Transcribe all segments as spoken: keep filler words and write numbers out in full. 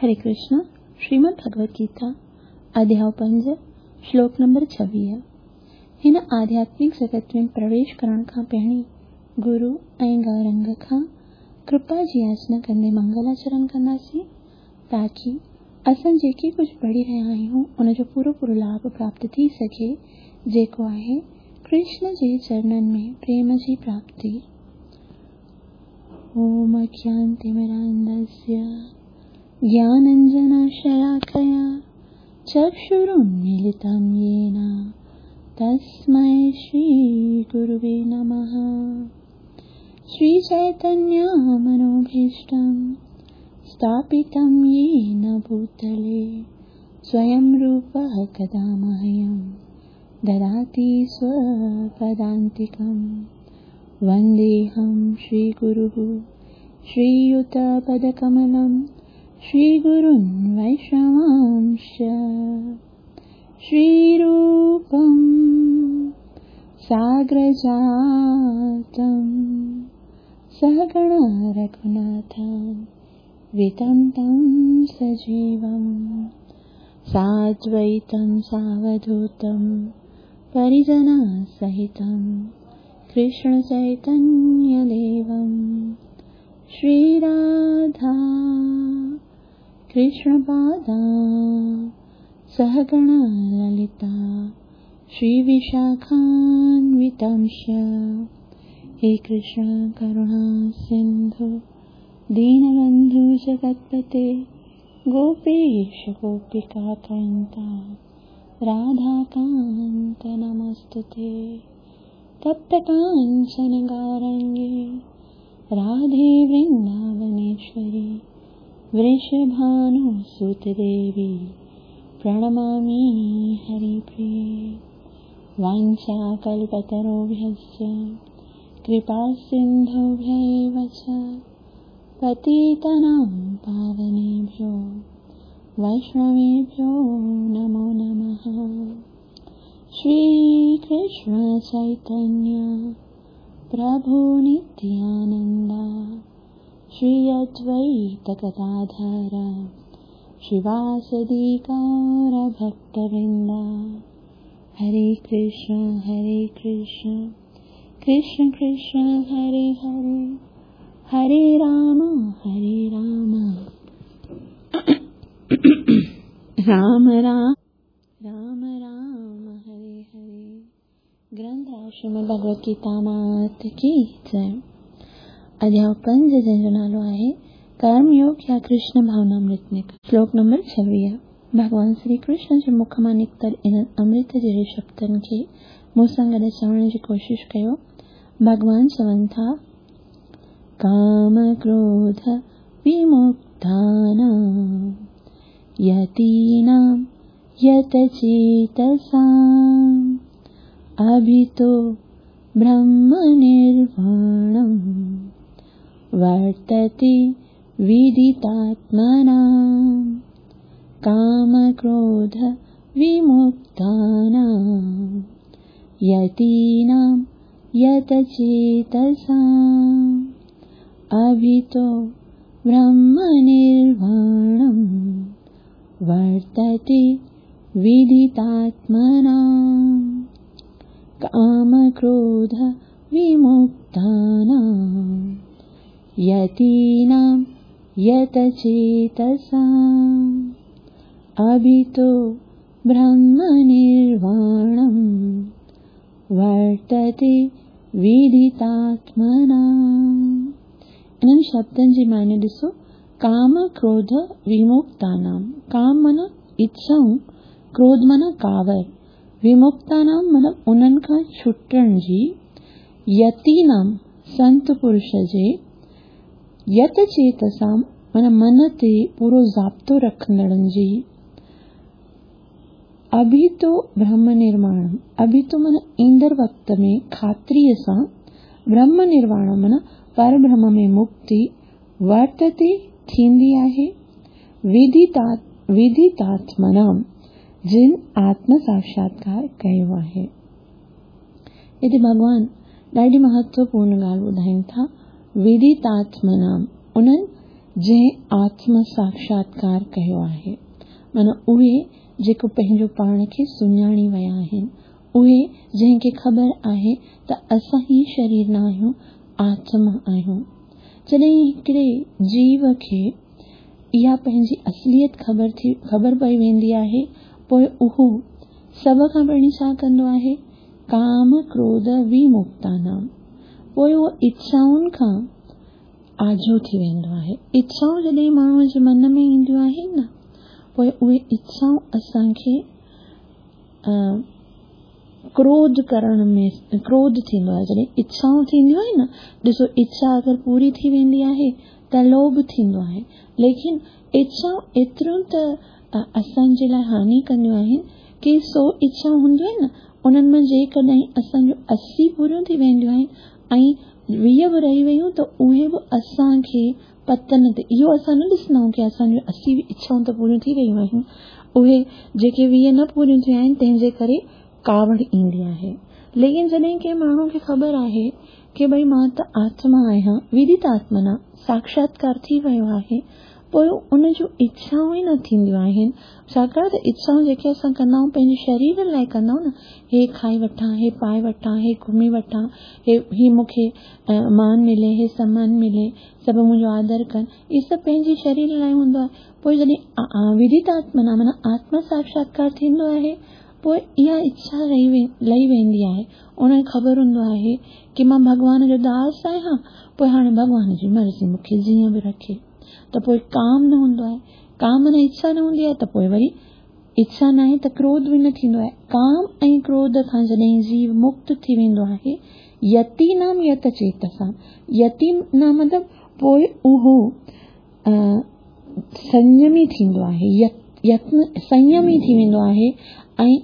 हरे कृष्ण। श्रीमद् भगवत गीता अध्याय पंज श्लोक नंबर छवीह। हिन आध्यात्मिक जगत में प्रवेश करण खां पहिरीं गुरु ऐं गौरंग खां कृपा जी याचना कंदे मंगलाचरण कंदासीं, ताकी असां जेके कुझु पढ़ी रहिया आहियूं उनजो पूरो पूरो लाभ प्राप्त थी सघे, जेको आहे कृष्ण जे चरणनि में प्रेम जी प्राप्ति। ओम अज्ञानतिमिरान्धस्य ज्ञानाञ्जनशलाकया चक्षुरुन्मीलितं येन तस्मै श्रीगुरुवे नमः। श्रीचैतन्यमनोभीष्टं स्थापितं येन भूतले स्वयं रूपः कदा मह्यं ददाति स्वपदान्तिकं। वन्देऽहं श्रीगुरुः श्रीयुतपदकमलं श्रीगुरुन् वैष्णवांश्च। श्रीरूपं साग्रजातं सहगण रघुनाथं वितं तं सजीवं साद्वैतं सावधूतं परिजनसहितं कृष्णचैतन्यदेवं। श्रीराधा कृष्णपादा सहगण ललिता श्रीविशाखान्वितांश्च। हे कृष्ण करुणा सिन्धु दीनबन्धु जगत्पते गोपेश गोपिकाकान्ता राधाकान्त नमस्तुते। तप्तकाञ्चन गौरङ्गे राधे वृन्दावनेश्वरी वृषभानुसुतदेवी प्रणमामि हरिप्रिये। वाञ्छाकल्पतरुभ्यश्च कृपासिन्धुभ्य एव च पतितानां पावनेभ्यो वैष्णवेभ्यो नमो नमः। श्रीकृष्ण चैतन्य प्रभु नित्यानन्द श्री अद्वैत गदाधर श्रीवासदि गौर भक्तवृंद। हरे कृष्ण हरे कृष्ण कृष्ण कृष्ण हरे हरे, हरे राम हरे राम राम राम राम राम हरे हरे। ग्रंथ श्रीमद् भगवत गीता मात की जय। अध्याय पंज जंहिंजो नालो आहे कर्मयोग या कृष्ण भावनामृत। श्लोक नंबर छवीह। भॻवान श्री कृष्ण जे मुख मां निकितल इन्हनि अमृत जहिड़े शब्दनि खे मूं सां गॾु चवण जी कोशिशि कयो। भॻवान चवनि था, काम क्रोध विमुक्तानां यतीनां यतचेतसाम् अभितो ब्रह्मनिर्वाणं वर्तते विदितात्मनां। कामक्रोध विमुक्तानां यतीनां यतचेतसाम् अभितो ब्रह्मनिर्वाणं वर्तते विदितात्मनां। कामक्रोध विमुक्तानां यतीनां यतचेतसाम् अभितो ब्रह्मनिर्वाणं वर्तते विदितात्मनाम्। इन्हनि शब्दनि जी माने ॾिसो, काम क्रोध विमुक्तानां। काम माना इच्छाऊं, क्रोध माना कावर, विमुक्तानां माना उन्हनि खां छुटण जी, यतीनां संत पुरुष जे, यतचेतसां माना मन ते पूरो ज़ाब्तो रखंदड़नि जी, अभितो ब्रह्म निर्वाणम, अभितो माना ईंदड़ वक़्त में ख़ात्रीअ सां, ब्रह्म निर्वाण माना पर ब्रह्म में मुक्ति, वर्तते थींदी आहे, विदिता विदितात्मनाम जिन आत्म साक्षात्कार कयो आहे। हिते भॻवान ॾाढी महत्वपूर्ण ॻाल्हि ॿुधाइनि था, विदितात्मनाम उन्हनि जंहिं आत्म साक्षात्कार कयो आहे। माना उहे जेको पंहिंजो पाण खे सुञाणी विया आहिनि, उहे जंहिंखे ख़बर आहे त असां ही शरीर न आहियूं, आत्मा आहियूं। जॾहिं हिकिड़े जीव खे इहा पंहिंजी असलियत ख़बर थी ख़बर पई वेंदी आहे, पोइ उहो सभ खां पहिरीं छा कंदो आहे? काम क्रोध विमुक्तानाम, पोइ उहो इच्छाउनि खां आजो थी वेंदो आहे। इच्छाऊं जॾहिं माण्हूअ जे मन में ईंदियूं आहिनि न, पोइ उहे इच्छाऊं असांखे क्रोध करण में क्रोध थींदो आहे। जॾहिं इच्छाऊं थींदियूं आहिनि न, ॾिसो इच्छा अगरि पूरी थी वेंदी आहे त लोभ थींदो आहे, लेकिन इच्छाऊं एतिरियूं त असांजे लाइ हानि कंदियूं आहिनि की सौ इच्छाऊं हूंदियूं आहिनि न, उन्हनि मां जेकॾहिं असांजो असी पूरियूं थी वेंदियूं आहिनि ऐं वीह बि रही वयूं त उहे बि असांखे पतन ते, इहो असां न ॾिसंदा आहियूं की असांजो असी इच्छाऊं त पूरियूं थी वयूं आहिनि, उहे जेके वीह न पूरियूं थियूं आहिनि तंहिंजे करे कावड़ ईंदी आहे। लेकिन जॾहिं कंहिं माण्हू खे ख़बर आहे की भई मां त आत्मा आहियां, विदित आत्मना साक्षात्कार थी वियो आहे, पोइ उन जूं इच्छाऊं ई न थींदियूं आहिनि। छाकाणि त इच्छाऊं जेके असां कंदा आहियूं पंहिंजे शरीर लाइ कंदा आहियूं न, हे खाई वठां, हे पाए वठां, हे घुमी वठां, हे ही मूंखे मान मिले, हे सम्मान मिले, सभु मुंहिंजो आदर कनि, इहे सभु पंहिंजे शरीर लाइ हूंदो आहे। पोइ जॾहिं विदित आत्मना माना आत्मा साक्षात्कार थींदो आहे, पोइ इहा इच्छा रही वे लही वेंदी आहे। उनखे ख़बर हूंदो आहे की मां भॻवान जो दास आहियां, पोइ हाणे भॻवान जी मर्ज़ी मूंखे जीअं बि रखे, त पोइ काम न हूंदो आहे। काम न इच्छा न हूंदी आहे त पोइ वरी इच्छा न आहे त क्रोध बि न थींदो आहे। काम ऐं क्रोध खां जॾहिं जीव मुक्त थी वेंदो आहे, यति नाम यत चेतसा, यति नाम मतिलबु पोइ उहो संयमी थींदो आहे, यत्न संयमी थी वेंदो आहे ऐं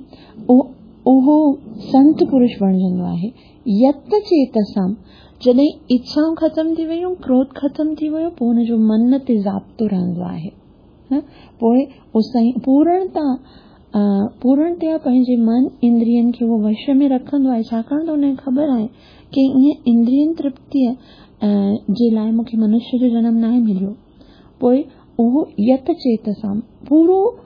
उहो संत पुरुष बणिजंदो आहे। यत्न चेतसां, जॾहिं इच्छाऊं ख़तमु थी वयूं, क्रोध ख़तमु थी वियो, पोइ हुनजो मन ते ज़ाब्तो रहंदो आहे। पोइ पूर्णता पूर्णतया पंहिंजे मन इंद्रियनि खे उहो वश में रखंदो आहे, छाकाणि त हुनखे ख़बर आहे की ईअं इंद्रियनि तृप्तीअ जे लाइ मूंखे मनुष्य जो जनम नाहे मिलियो। पोइ उहो यत चेत सां पूरो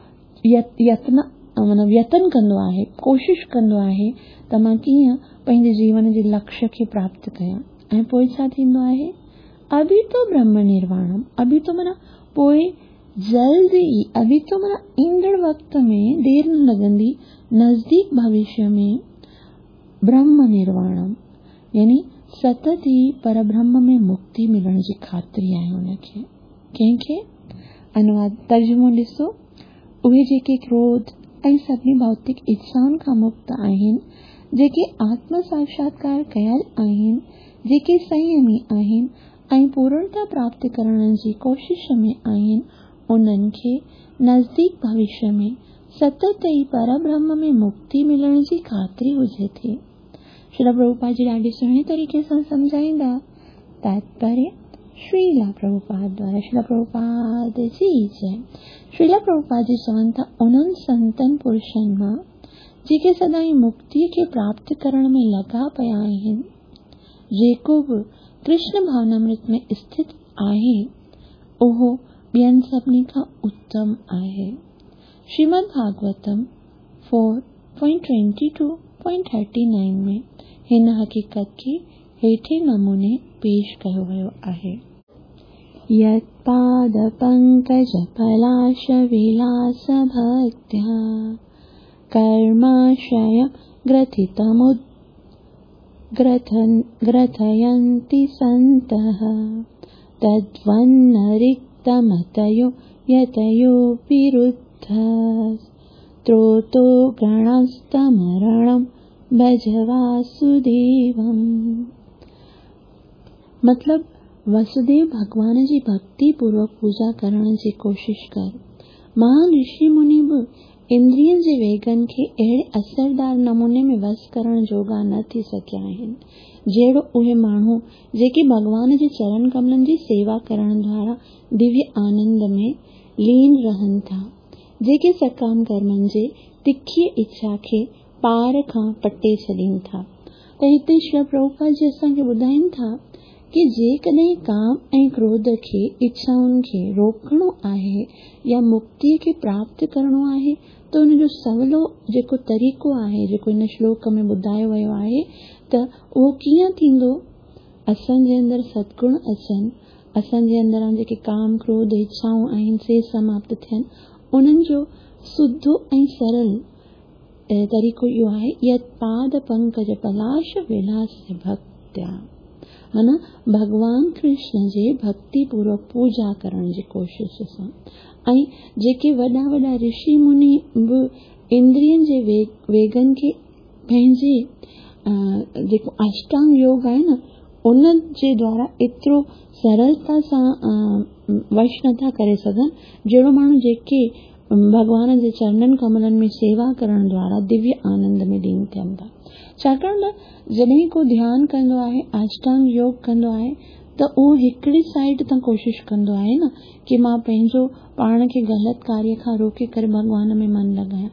यत्न माना यतन कंदो आहे, कोशिश कंदो आहे त मां कीअं पंहिंजे जीवन जे लक्ष्य खे प्राप्त कयां। ऐं पोइ छा थींदो आहे? अभी तो ब्रह्म निर्वाणम, अभी तो माना पोइ जल्द ई, अभी तो माना ईंदड़ वक़्त में देरि न लॻंदी, नज़दीक भविष्य में ब्रह्म निर्वाणम यानी सतत ई परब्रह्म में मुक्ति मिलण जी ख़ातिरी आहे हुनखे। कंहिंखे? अनुवाद तर्जुमो ॾिसो, उहे जेके क्रोध ऐं सभिनी भौतिक इच्छाउनि खां मुक्त आहिनि, जेके आत्म साक्षात्कार कयल आहिनि, जेके संयमी आहिनि ऐं पूर्णता प्राप्त करण जी कोशिश में आहिनि, उन्हनि खे नज़दीक भविष्य में सतत ई परब्रह्म में मुक्ति मिलण जी ख़ातिरी हुजे थी। श्रील प्रभुपाद जी ॾाढे सुहिणे तरीक़े सां सम्झाईंदा। तात्पर्य श्रीला प्रभुपाद द्वारा। श्रील प्रभुपाद जी जय। श्रील प्रभुपाद जी चवनि था उन्हनि संतनि पुरुषनि मां जेके सदाईं मुक्तीअ खे प्राप्त करण में लॻा पिया आहिनि, जेको बि कृष्ण भावनामृत में स्थित आहे उहो ॿियनि सभिनी खां उत्तम आहे। Shrimad Bhagavatam four point twenty two point thirty nine में हिन हक़ीक़त खे हेठे नमूने पेश कयो वियो आहे। यत्पादपङ्कजपलाशविलासभक्त्या कर्माशयं ग्रथितमुद् ग्रथन् ग्रथयन्ति सन्तः तद्वन्नरिक्तमतयो यतयो विरुद्धः स्त्रोतो गणस्तमरणं भज वासुदेवम्। मतलब वसुदेव भॻवान जी भक्ति पूर्वक पूजा करण जी कोशिश कर। महान ऋषि मुनि बि इंद्रियनि जे वेगनि खे अहिड़े असरदार नमूने में वस करण जोगा न थी सघिया आहिनि जहिड़ो उहे माण्हू जेके भॻवान जे चरण कमलनि जी सेवा करण द्वारा दिव्य आनंद में लीन रहनि था, जेके सकाम कर्मनि जे तिखी इच्छा खे पार खां पटे छॾीनि था। त हिते श्री प्रभुपाद जी असांखे ॿुधाइनि था की जेकॾहिं काम ऐं क्रोध खे, इच्छाउनि खे रोकणो आहे या मुक्तीअ खे प्राप्त करणो आहे त हुनजो सवलो जेको तरीक़ो आहे, जेको हिन श्लोक में ॿुधायो वियो आहे, त उहो कीअं थींदो? असांजे अंदरि सदगुण अचनि, असांजे अंदरां जेके काम, क्रोध, इच्छाऊं आहिनि से समाप्त थियनि, उन्हनि जो सुधो ऐं सरल तरीक़ो इहो आहे यत् पाद पंकज पलाश विलास भक्त्या, माना भॻवान कृष्ण जे भक्ति पूर्वक पूजा करण जी कोशिश सां। ऐं जेके वॾा वॾा ऋषि मुनि बि इंद्रियनि जे वेगनि खे पंहिंजे जेको अष्टांग योग आहे न उन जे द्वारा एतिरो सरलता सां वश नथा करे सघनि जहिड़ो माण्हू जेके भॻवान जे चरणनि कमलनि में सेवा करण द्वारा दिव्य आनंद में लीन थियनि था। छाकाणि त जॾहिं को ध्यान कंदो आहे, अष्टांग योग कंदो आहे, त उहो हिकिड़ी साइड तां कोशिश कंदो आहे न की मां पंहिंजो पाण खे ग़लति कार्य खां रोके करे भॻवान में मन लॻायां,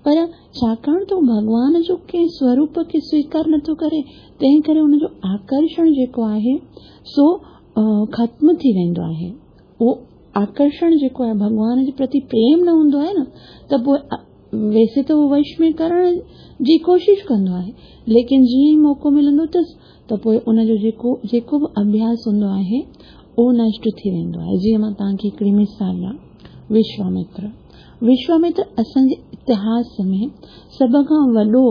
पर छाकाणि त भॻवान जो कंहिं स्वरूप खे स्वीकार नथो करे, तंहिं करे हुनजो आकर्षण जेको आहे सो ख़त्म थी वेंदो आहे। उहो आकर्षण जेको आहे भॻवान जे प्रति प्रेम न हूंदो आहे न, त पोइ वैसे त उहो वश में करण जी कोशिश कंदो आहे, लेकिन जीअं ई मौक़ो मिलंदो अथसि त पोइ उनजो जेको जेको बि अभ्यास हूंदो आहे उहो नष्ट थी वेंदो आहे। जीअं मां तव्हांखे हिकिड़ी मिसाल ॾियां, विश्वामित्र विश्वामित्र असांजे इतिहास में सभ खां वॾो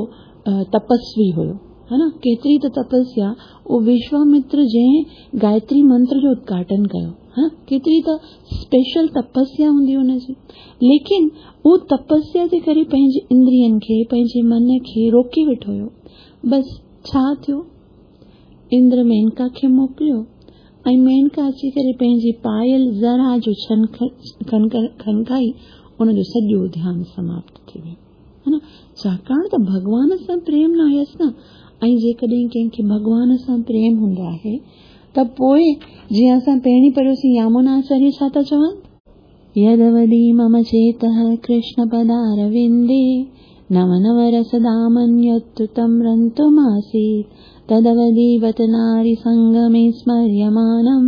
तपस्वी हुयो, हा न, केतिरी त तपस्या उहो विश्वामित्र जंहिं गायत्री मंत्र जो उद्घाटन कयो, हा, केतिरी त स्पेशल तपस्या हूंदी हुनजी, लेकिन उहो तपस्या जे करे पंहिंजे इंद्रियनि खे, पंहिंजे मन खे रोके वेठो हुयो। बसि छा थियो, इंद्र मेनका खे मोकिलियो ऐं मेनका अची करे पंहिंजी पायल ज़रा जो छन खनकाई, उनजो सॼो ध्यान समाप्त थी वियो, हा न। छाकाणि त भॻवान सां प्रेम न हुयसि न, ऐं जेकॾहिं कंहिंखे भॻवान सां प्रेम हूंदो आहे त पोइ जीअं असां पहिरीं पढ़ियोसीं यामुनाचार्य छा था चवनि, यदवधि मम चेतः कृष्णपदारविन्दे नव नव रसदामन्यत्तुतं रन्तुमासीत् तदवधि बत नारीसङ्गमे स्मर्यमाणं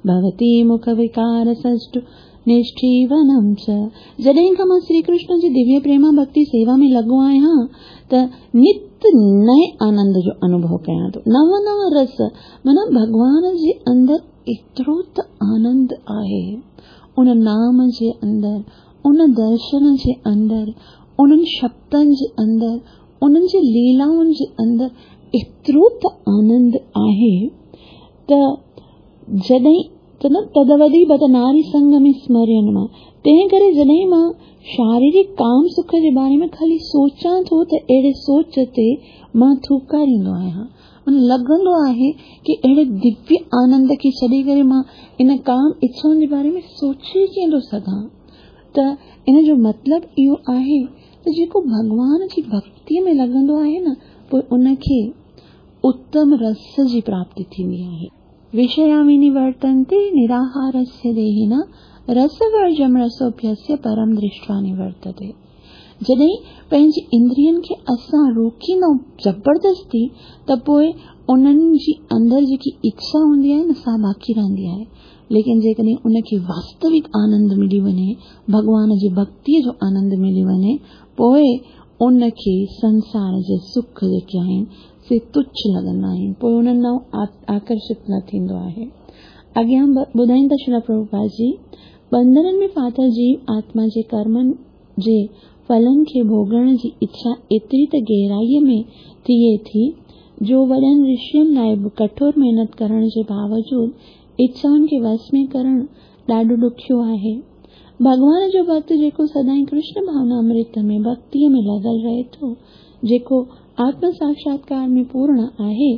भवति मुखविकारसष्टु निष्ठीवनं च। जॾहिं खां मां श्री कृष्ण जी दिव्य प्रेमा भक्ति सेवा में लॻो आहियां त नित नए आनंद जो अनुभव कयां थो, नव नव रस, माना भॻवान जे अंदरि एतिरो त आनंद आहे, उन नाम जे अंदरि, उन दर्शन जे अंदरि, उन्हनि शब्दनि जे अंदरि, उन्हनि जी लीलाउनि जे अंदरि एतिरो त आनंद आहे त जॾहिं त न तदवधि बत नारी संग में स्मरण मां, तंहिं करे जॾहिं मां शारीरिक काम सुख जे बारे में ख़ाली सोचां थो त अहिड़े सोच ते मां थूकारींदो आहियां, लॻंदो आहे की अहिड़े दिव्य आनंद खे छॾी करे मां इन काम इच्छाउनि जे बारे में सोचे कीअं थो सघां। त इन जो मतिलबु इहो आहे त जेको भॻवान जी भक्तीअ में लॻंदो आहे न, पोइ उनखे उत्तम रस जी प्राप्ति थींदी आहे। विषया विनिवर्तन्ते निराहारस्य देहिनः रसवर्जं रसोऽप्यस्य परं दृष्ट्वा निवर्तते। जॾहिं पंहिंजी इंद्रियनि खे असां रोकींदा ज़बरदस्ती त पोइ उन्हनि जी अंदरि जेकी इच्छा हूंदी आहे न सा बाक़ी रहंदी आहे, लेकिन जेकॾहिं उनखे वास्तविक आनंद मिली वञे, भॻवान जी भक्तीअ जो आनंद मिली वञे, पोइ उनखे संसार जे सुख जेके आहिनि से तुच्छ लॻंदा आहिनि, पोइ उन्हनि ॾांहुं आकर्षित न थींदो आहे। अॻियां ॿुधाईंदा श्रील प्रभुपाद जी, बंधननि में फाथल जीव आत्मा जे कर्मनि जे फलनि खे भोगण जी इच्छा एतिरी त गहराईअ में थिए थी जो वॾनि ऋषियुनि लाइ बि कठोर महिनत करण जे बावजूद इच्छाउनि खे वश में करण ॾाढो ॾुखियो आहे। भॻवान जो भक्त जेको सदाईं कृष्ण भावना अमृत में भक्तीअ में लॻल रहे थो, जेको आत्म साक्षात्कार में पूर्ण आहे,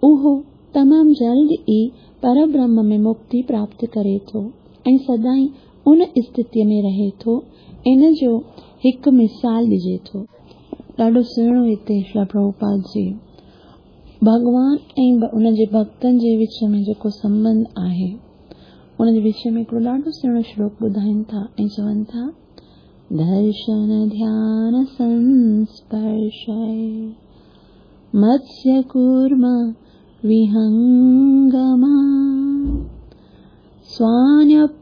उहो तमामु जल्द ई परब्रह्म में मुक्ति प्राप्त करे थो ऐं सदाईं उन स्थितीअ में रहे थो। इन जो हिकु मिसाल ॾिजे थो, ॾाढो सुहिणो हिते श्रील प्रभुपाद जी भॻवान ऐं उनजे भक्तनि जे विच में जेको संबंध आहे उनजे विच में हिकिड़ो ॾाढो सुहिणो श्लोक ॿुधाइनि था ऐं चवनि था, दर्शन ध्यान संस्पर्शै मत्स्य कूर्म विहंगमा स्वान्यपत्यानि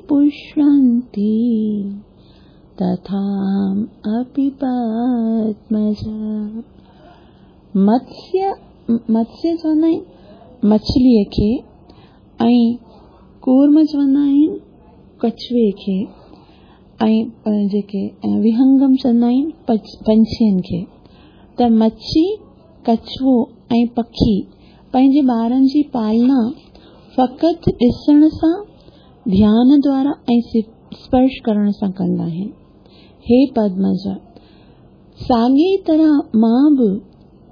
पुष्यन्ति तथा अपि पद्मज। मत्स्य मत्स्य चवंदा आहिनि मछलीअ खे ऐं कूर्म चवंदा आहिनि कछुए खे ऐं जेके विहंगम चवंदा आहिनि पंछियुनि खे। त मच्छी, कछुओ ऐं पखी पंहिंजे ॿारनि जी पालना फ़क़ति ॾिसण सां, ध्यान द्वारा ऐं स्पर्श करण सां कंदा आहिनि। हे पद्मज, साॻी तरह मां बि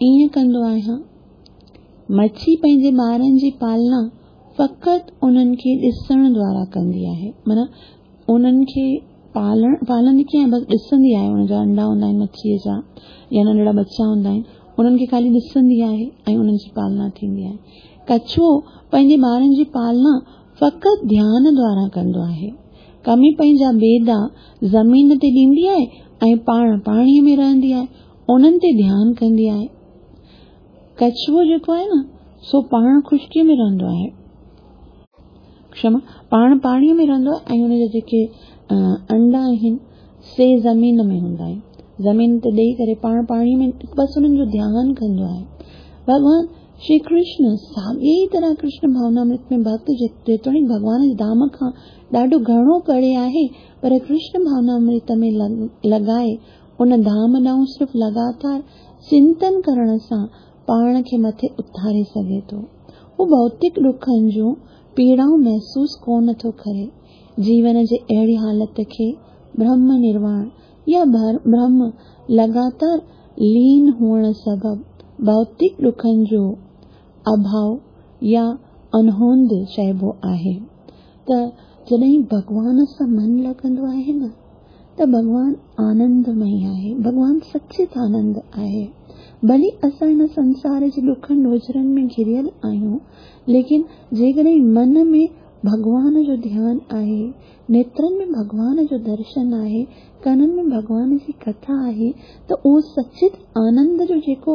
ईअं कंदो आहियां। मच्छी पंहिंजे ॿारनि जी पालना फ़क़ति उन्हनि खे ॾिसण द्वारा कंदी आहे, माना उन्हनि खे पालण पालंदी कीअं आहे, बसि ॾिसंदी आहे। उनजा अंडा हूंदा आहिनि मच्छीअ जा या नंढड़ा बच्चा हूंदा आहिनि, उन्हनि खे ख़ाली ॾिसंदी आहे ऐं उन्हनि जी पालना थींदी आहे। कछुओ पंहिंजे ॿारनि जी पालना फ़क़ति ध्यान द्वारा कंदो आहे। कमी पंहिंजा बेदा ज़मीन ते ॾींदी आहे ऐं पाण पाणीअ में रहंदी आहे, उन्हनि ते ध्यानु कंदी आहे। कछुओ जेको आहे न, सो पाण ख़ुश्कीअ में रहंदो आहे, क्षमा, पाण पाणीअ में रहंदो आहे ऐं हुनजा जेके अंडा आहिनि से ज़मीन में हूंदा आहिनि। ज़मीन ते ॾेई करे पाण पाणीअ में बसि हुननि जो ध्यानु कंदो आहे। भॻवान श्री कृष्ण साॻी ई तरह कृष्ण भावनामृत में भक्त जेतोणीकि भॻवान जे धाम खां ॾाढो घणो परे आहे, पर कृष्ण भावनामृत में लॻाए उन धाम ॾांहुं सिर्फ़ लगातार चिंतन करण सां पाण खे मथे उथारे सघे थो। हू भौतिक ॾुखनि जूं पीड़ाऊं महसूसु कोन थो करे। जीवन जे अहिड़ी हालत खे ब्रह्म निर्वाण या ब्रह्म लगातार लीन हुअण सबबु भौतिक ॾुखनि जो अभाव या अनहोंद चइबो आहे। त जॾहिं भॻवान सां मन लॻंदो आहे न, त भॻवान आनंदमयी आहे, भॻवान सचित आनंद आहे। भली असां हिन संसार जे ॾुखनि ॾोझरनि में घिरियल आहियूं, लेकिन जेकॾहिं मन में भॻवान जो ध्यानु आहे, नेत्रनि में भॻवान जो दर्शन आहे, कननि में भॻवान जी कथा आहे, त उहो सचित आनंद जो जेको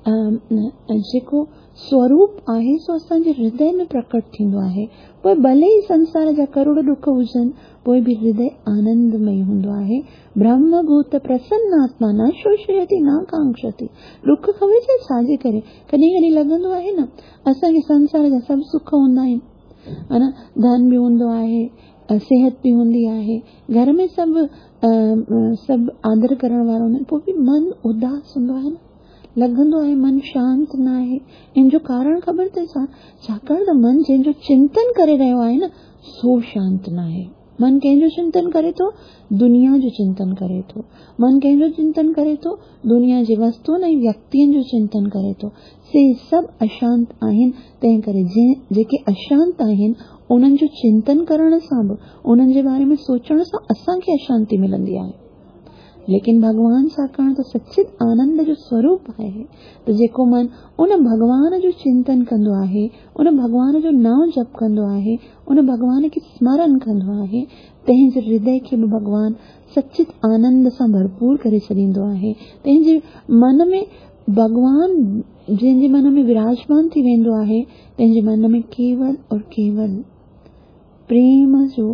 जेको स्वरूप आहे सो असांजे हृदय में प्रकट थींदो आहे। पोइ भले ई संसार जा करोड़ ॾुख हुजनि, पोइ बि हृदय आनंदमयी हूंदो आहे। ब्रह्मभूत प्रसन्न आत्मा न शोषयति न कांक्षति। ॾुख ख़बर छा छाजे करे? कॾहिं कॾहिं लॻंदो आहे न असांखे संसार जा सभु सुख हूंदा आहिनि, हा न, धन बि हूंदो आहे, सिहत बि हूंदी आहे, घर में सभु सभु आदर करण वारो हूंदो आहिनि, पोइ बि मन उदास हूंदो आहे न, लॻंदो आहे मन शांत न आहे। इन जो कारण ख़बर अथई छा? छाकाणि त मन जंहिंजो चिंतन करे रहियो आहे न, सो शांत न आहे। मन कंहिंजो चिंतन करे थो? दुनिया जो चिंतन करे थो। मन कंहिंजो चिंतन करे थो? दुनिया जे वस्तुनि ऐं व्यक्तियुनि जो चिंतन करे थो। से सभु अशांत आहिनि। तंहिं करे जेके अशांत आहिनि उन्हनि जो चिंतन करण सां बि, उन्हनि जे बारे में सोचण सां असांखे अशांति मिलंदी आहे। लेकिन भॻवान छाकाणि त सचित आनंद जो स्वरूप आहे, त जेको मन उन भॻवान जो चिंतन कंदो आहे, उन भॻवान जो नाम जप कंदो आहे, उन भॻवान खे स्मरण कंदो आहे, तंहिंजे हृदय खे बि भॻवान सचित आनंद सां भरपूर करे छॾींदो आहे। तंहिंजे मन में भॻवान जंहिंजे मन में विराजमान थी वेंदो आहे, तंहिंजे मन में केवल और केवल प्रेम जो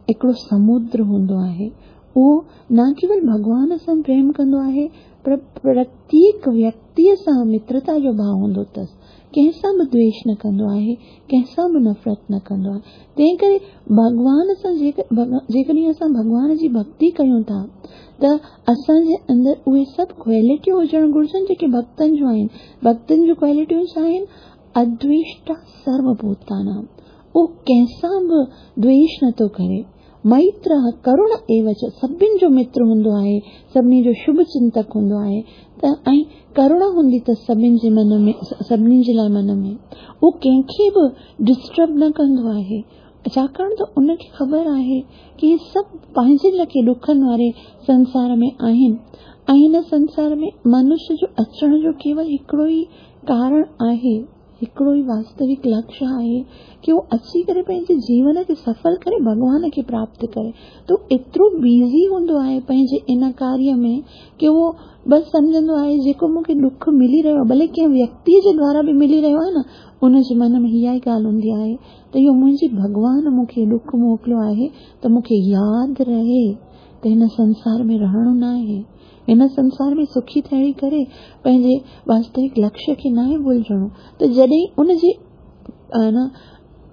हिकिड़ो समुद्र हूंदो आहे। उहो न केवल भॻवान सां प्रेम कंदो आहे, पर प्रत्येक व्यक्तिअ सां मित्रता जो भाव हूंदो अथसि। कंहिंसां बि द्वेष न कंदो आहे, कंहिंसां बि नफ़रत न कंदो आहे। तंहिं करे भॻवान सां जेकॾहिं असां भॻवान जी भक्ति कयूं था, त असांजे अंदरि उहे सभु क्वालिटियूं हुजणु घुर्जनि जेके भक्तनि जूं आहिनि। भक्तनि जूं क्वालिटियूं छा आहिनि? अद्वेष्टा सर्वभूतानां। उहो कंहिंसां बि द्वेष नथो करे। मैत्र करुण एव च, सभिनी जो मित्र हूंदो आहे, सभिनी जो शुभ चिंतक हूंदो आहे। त ऐं करुणा हूंदी अथसि सभिनी जे मन में, सभिनी जे लाइ मन में। उहो कंहिंखे बि डिस्टर्ब न कंदो आहे, छाकाणि त उनखे ख़बर आहे की इहे सभु पंहिंजे लाइ ॾुखनि वारे संसार में आहिनि ऐं हिन संसार में मनुष्य जो अचण जो केवल हिकिड़ो ई कारण आहे हिकिड़ो ई वास्तविक लक्ष्य आहे की उहो अची करे पंहिंजे जीवन खे सफल करे भॻवान खे प्राप्त करे। त एतिरो बिज़ी हूंदो आहे पंहिंजे इन कार्य में की उहो बसि सम्झंदो आहे जेको मूंखे ॾुख मिली रहियो आहे, भले कंहिं व्यक्ति जे द्वारा बि मिली रहियो आहे न, उनजे मन में इहा ई ॻाल्हि हूंदी आहे त इहो मुंहिंजी भॻवान मूंखे ॾुख मोकिलियो आहे त मूंखे यादि रहे त हिन संसार में रहणो न आहे, हिन संसार में सुखी थी करे पंहिंजे वास्तविक लक्ष्य खे नाहे भुलिजणो। त जॾहिं उनजे न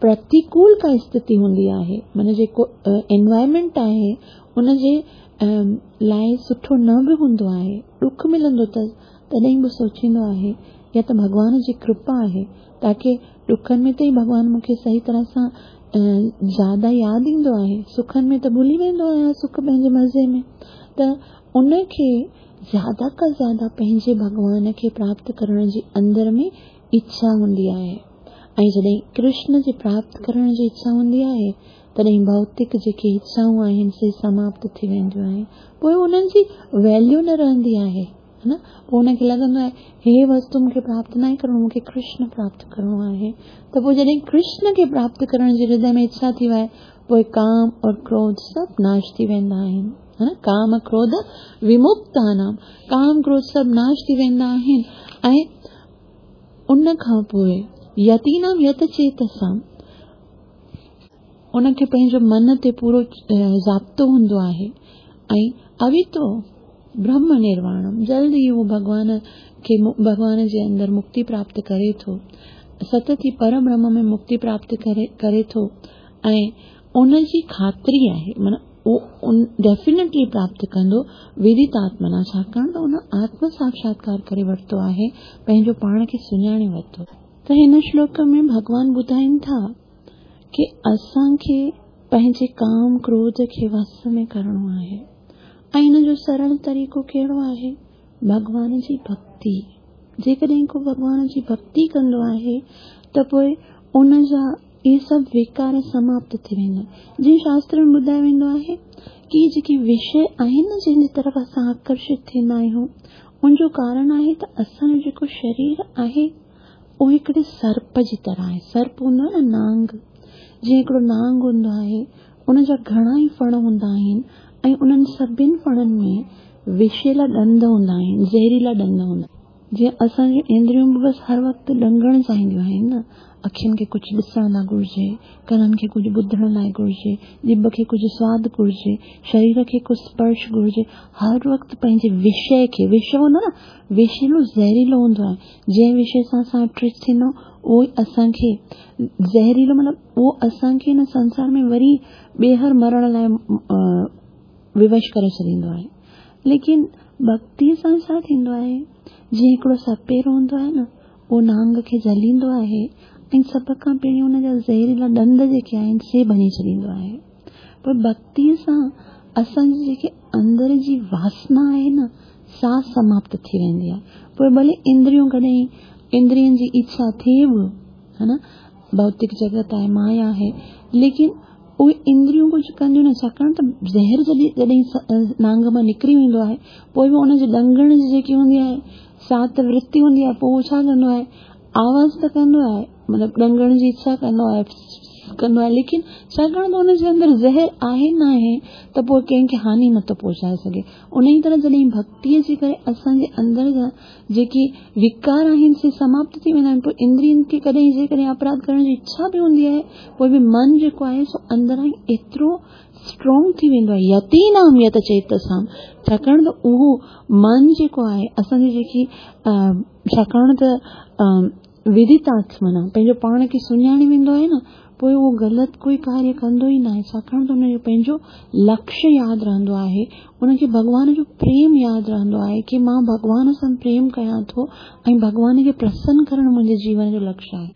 प्रतिकूल का स्थिति हूंदी आहे, माना जेको एनवायरमेंट आहे उनजे लाइ सुठो न बि हूंदो आहे, ॾुख मिलंदो अथसि, तॾहिं बि सोचींदो आहे या त भॻवान जी कृपा आहे ताकी ॾुखनि में त ई भॻवान मूंखे सही तरह सां ज़्यादा यादि ईंदो आहे, सुखनि में त भुली वेंदो आहियां सुख पंहिंजे मज़े में। त उनखे ज़्यादा खां ज़्यादा पंहिंजे भॻवान खे प्राप्त करण जी अंदरि में इच्छा हूंदी आहे ऐं जॾहिं कृष्ण जे प्राप्त करण जी इच्छा हूंदी आहे तॾहिं भौतिक जेके इच्छाऊं आहिनि से समाप्त थी वेंदियूं आहिनि, पोइ उन्हनि जी वैल्यू न रहंदी आहे, है न। पोइ हुनखे लॻंदो आहे हे वस्तु मूंखे प्राप्त न आहे करिणो, मूंखे कृष्ण प्राप्त करिणो आहे। त पोइ जॾहिं कृष्ण खे प्राप्त करण जी हृदय में इच्छा थी वए पोइ काम और क्रोध सभु नाश थी वेंदा आहिनि, है न। काम क्रोध विमुक्तानाम, काम क्रोध सभु नाश थी वेंदा आहिनि। ऐं उन खां पोइ यतीनाम यत चेतसाम, उनखे पंहिंजो मन ते पूरो ज़ाब्तो हूंदो आहे ऐं अवितो ब्रह्म निर्वाणम, जल्द ई उहो भॻवान खे भॻवान जे अंदरि मुक्ति प्राप्त करे थो, सतत ई पर ब्रह्म में मुक्ति प्राप्त करे करे थो ऐं उनजी ख़ातिरी आहे, माना उहो डेफिनेटली प्राप्त कंदो विदित आत्मना, छाकाणि त उन आत्म साक्षात्कार करे वरितो आहे, पंहिंजो पाण खे सुञाणे वरितो। त हिन श्लोक में भॻवान ॿुधाइनि था की असांखे पंहिंजे काम क्रोध खे वस में करिणो आहे ऐं हिन जो सरल तरीक़ो कहिड़ो आहे? भॻवान जी भक्ति। जेकॾहिं को भॻवान जी भक्ति कंदो आहे त पोइ उन जा इहे सभु विकार समाप्त थी वेंदा आहिनि। जीअं शास्त्र में ॿुधायो वेंदो आहे की जेके विषय आहिनि न जंहिंजी तरफ़ असां आकर्षित थींदा आहियूं, उनजो कारण आहे त असांजो जेको शरीर आहे उहो हिकिड़े सर्प जी तरह आहे। सर्प हूंदो आहे न नांग, जीअं हिकिड़ो नांग हूंदो आहे उनजा घणा ई फण हूंदा आहिनि ऐं उन्हनि सभिनी फणनि में विषीला ॾंद हूंदा आहिनि, ज़हरीला ॾंद हूंदा आहिनि। जीअं असांजूं इंद्रियूं बि बसि हर वक़्तु ॾंगणु चाहींदियूं आहिनि न, अखियुनि खे कुझु ॾिसण लाइ घुर्जे, कननि खे कुझु ॿुधण लाइ घुर्जे, ॼिभ खे कुझु स्वादु घुर्जे, शरीर खे कुझु स्पर्श घुर्जे, हर वक़्तु पंहिंजे विषय खे, विषय हूंदो आहे न, विषीलो ज़हरीलो हूंदो आहे, जंहिं विषय सां असां अट्रैक्ट थींदा उहो ई असांखे ज़हरीलो, मतिलबु उहो असांखे हिन संसार में वरी ॿीहर मरण लाइ विवश करे छॾींदो आहे। लेकिन भक्ति सां छा थींदो आहे, जीअं हिकिड़ो सपेरो हूंदो आहे न, उहो नांग खे जलींदो आहे ऐं सभ खां पहिरीं हुनजा ज़हरीला ॾंद जेके आहिनि से भञी छॾींदो आहे। पोइ भक्तीअ सां असांजी जेके अंदरि जी वासना आहे न, सा समाप्त थी वेंदी आहे। पोइ भले इंद्रियूं कॾहिं इंद्रियनि जी इच्छा थिए बि, है न, भौतिक जगत आहे, माया आहे, लेकिन उहे इंद्रियूं कुझु कंदियूं न, छाकाणि त ज़हर जॾहिं जॾहिं नांग मां निकिरी वेंदो आहे पोइ बि उनजे ॾंगण जी जेकी हूंदी आहे सा त वृत्ति हूंदी आहे, पोइ उहो छा कंदो आहे, आवाज़ त कंदो आहे, मतिलबु ॾंगण जी इच्छा कंदो आहे, कंदो आहे, लेकिन छाकाणि त हुनजे अंदरि ज़हर आहे न आहे त पोइ कंहिंखे हानि नथो पहुचाए सघे। उन ई तरह जॾहिं भक्तीअ जे करे असांजे अंदरि जा जेके विकार आहिनि से समाप्त थी वेंदा आहिनि, पोइ इंद्रियनि खे कॾहिं जेकॾहिं अपराध करण जी इच्छा बि हूंदी आहे, पोइ बि मन जेको आहे सो अंदरां ई एतिरो स्ट्रॉन्ग थी वेंदो आहे, यतीनाम यत चेतसाम, छाकाणि त उहो मन जेको आहे असांजी जेकी छाकाणि त विदित आत्मना पंहिंजो पाण खे सुञाणे वेंदो आहे न, पोइ उहो ग़लति कोई कार्य कंदो ई न आहे, छाकाणि त हुनजो पंहिंजो लक्ष्य यादि रहंदो आहे, उनखे भॻवान जो प्रेम यादि रहंदो आहे की मां भॻवान सां प्रेम कयां थो ऐं भॻवान खे प्रसन्न करणु मुंहिंजे जीवन जो लक्ष्य आहे।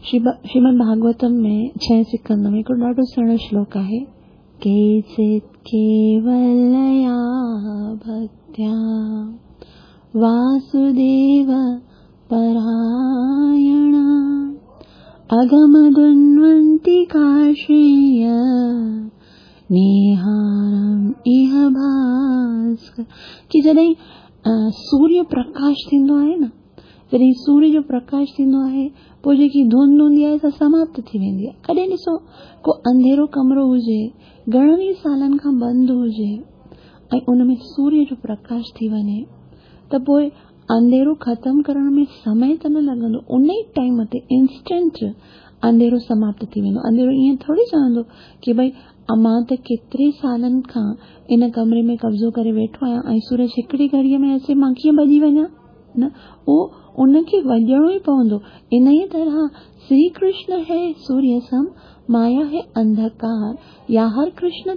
श्रीमद् भागवतम में छह स्कंद में हिकिड़ो ॾाढो सुहिणो श्लोक आहे, केचित् केवलया भक्त्या वासुदेव परायणा अगमदुन्वन्ति काश्रेय नेहारम इह भास्कर। की जॾहिं सूर्य प्रकाश थींदो आहे न, जॾहिं सूर्य जो प्रकाश थींदो आहे, पोइ जेकी धुंध हूंदी आहे सा समाप्त थी वेंदी आहे। कॾहिं ॾिसो को अंधेरो कमिरो हुजे, घणनि ई सालनि खां बंदि हुजे ऐं उन में सूर्य जो प्रकाश थी वञे त पोइ अंधेरो ख़तमु करण में समय त न लॻंदो, उन ई टाइम ते इंस्टेंट अंधेरो समाप्त थी वेंदो। अंधेरो ईअं थोरी चवंदो की भई मां त केतिरे सालनि खां इन कमरे में कब्ज़ो करे वेठो आहियां ऐं सूरज हिकिड़ी घड़ीअ में अचे, मां कीअं भॼी वञा? न, उहो उनखे वञिणो ई पवंदो। इन ई तरह श्री कृष्ण है सूर्य सम, माया है अंधकार, या हर कृष्ण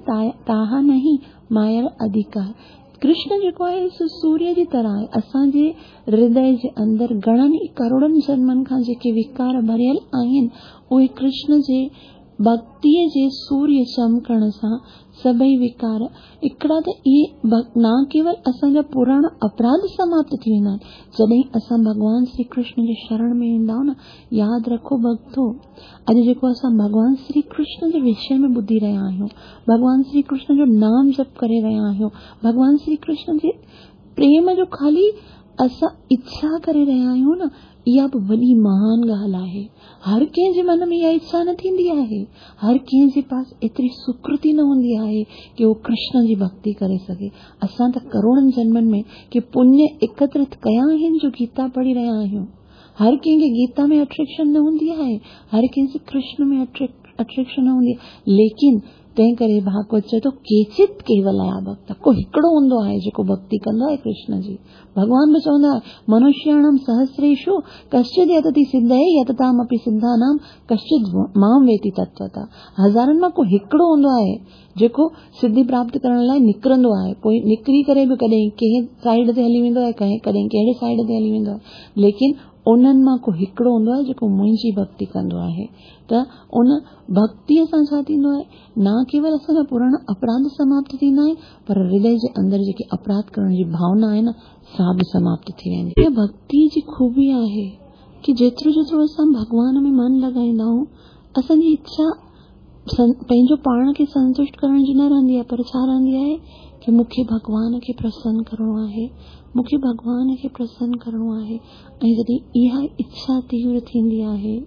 ताहा नहीं माया अधिकार। कृष्ण जेको आहे सो सूर्य जी तरह आहे। असांजे हृदय जे अंदरि घणनि ई करोड़नि जन्मनि खां जेके विकार भरियल आहिनि, उहे कृष्ण जे भक्तीअ जे सूर्य चमकण सां सभई विकार हिकिड़ा त इहे न केवल असांजा पुराणा अपराध समाप्त थी वेंदा आहिनि। जॾहिं असां भॻवान श्री कृष्ण जे शरण में ईंदा आहियूं न, यादि रखो भक्तो, अॼु जेको असां भॻवान श्री कृष्ण जे विषय में ॿुधी रहिया आहियूं, भॻवान श्री कृष्ण जो नाम जप करे रहिया आहियूं, भॻवान श्री कृष्ण जे प्रेम जो ख़ाली असां इच्छा करे रहिया आहियूं न, इहा बि वॾी महान ॻाल्हि आहे। हर कंहिंजे मन में इहा इच्छा न थींदी आहे, हर कंहिंजे पास एतिरी सुकृति न हूंदी आहे की उहो कृष्ण जी भक्ति करे सघे। असां त करोड़नि जन्मनि में के पुण्य एकत्रित कया आहिनि जो गीता पढ़ी रहिया आहियूं। हर कंहिंखे गीता में अट्रैक्शन न हूंदी आहे, हर कंहिंखे कृष्ण में अट्रैक्शन न हूंदी आहे। लेकिन तंहिं करे भागवत चए थो केचित केवलया भक्त, को हिकिड़ो हूंदो आहे जेको भक्ति कंदो आहे कृष्ण जी। भॻवान बि चवंदो आहे मनुष्याणां सहस्रेषु कश्चित् यतति सिद्धये यततामपि सिद्धानां कश्चित् मां वेति तत्त्वतः। हज़ारनि मां को हिकिड़ो हूंदो आहे जेको सिद्धि प्राप्त करण लाइ निकिरंदो आहे, पोइ निकिरी करे बि कॾहिं कंहिं साइड ते हली वेंदो आहे, कंहिं कॾहिं कहिड़े साइड ते हली वेंदो आहे, लेकिन उन्हनि मां को हिकिड़ो हूंदो आहे जेको मुंहिंजी भक्ति कंदो आहे। त उन भक्तीअ सां छा थींदो आहे, न केवल असांजा पुराणा अपराध समाप्त थींदा आहिनि, पर हृदय जे अंदरि जेकी अपराध करण जी भावना आहे न, सा बि समाप्त थी वेंदी। इहा भक्ति जी ख़ूबी आहे की जेतिरो जेतिरो असां भॻवान में मन लॻाईंदा आहियूं, असांजी इच्छा पंहिंजो पाण खे संतुष्ट करण जी न रहंदी आहे, पर छा रहंदी आहे की मूंखे भॻवान खे प्रसन्न करिणो आहे, मूंखे भॻवान खे प्रसन्न करिणो आहे। ऐं जॾहिं इहा इच्छा तीव्र थींदी आहे